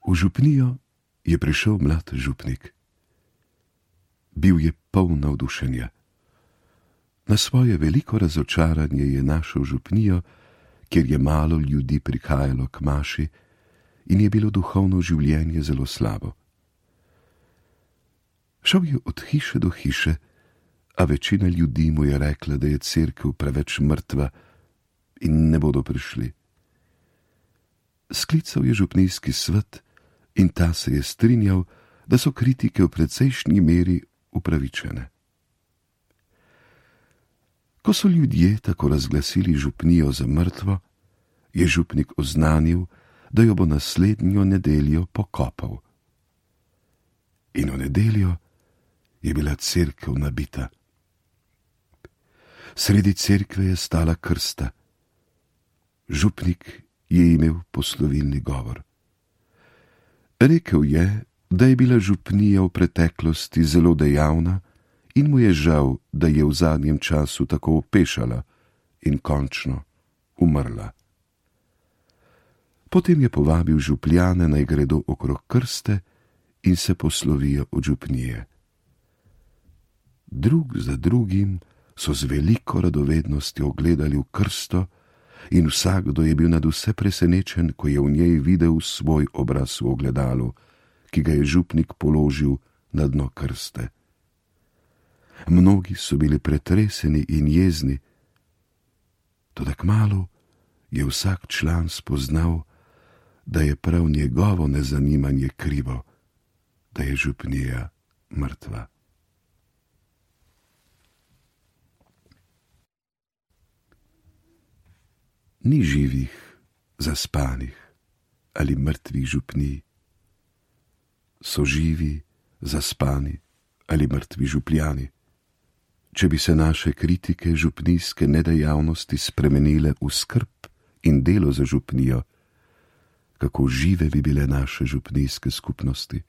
V župnijo je prišel mlad župnik. Bil je poln navdušenja. Na svoje veliko razočaranje je našel župnijo, kjer je malo ljudi prihajalo k maši in je bilo duhovno življenje zelo slabo. Šel je od hiše do hiše, a večina ljudi mu je rekla, da je cerkev preveč mrtva in ne bodo prišli. Sklical je župnijski svet in ta se je strinjal, da so kritike v precejšnji meri upravičene. Ko so ljudje tako razglasili župnijo za mrtvo, je župnik oznanil, da jo bo naslednjo nedeljo pokopal. In v nedeljo je bila cerkev nabita. Sredi cerkve je stala krsta. Župnik je imel poslovilni govor. Rekel je, da je bila župnija v preteklosti zelo dejavna in mu je žal, da je v zadnjem času tako opešala in končno umrla. Potem je povabil župljane, naj gredo okrog krste in se poslovijo od župnije. Drug za drugim so z veliko radovednostjo gledali v krsto in vsakdo je bil nadvse presenečen, ko je v njej videl svoj obraz v ogledalu, ki ga je župnik položil na dno krste. Mnogi so bili pretreseni in jezni, toda kmalu je vsak član spoznal, da je prav njegovo nezanimanje krivo, da je župnija mrtva. Ni živih, zaspanih ali mrtvih župnij. So živi, zaspani ali mrtvi župljani. Če bi se naše kritike župnijske nedejavnosti spremenile v skrb in delo za župnijo, kako žive bi bile naše župnijske skupnosti.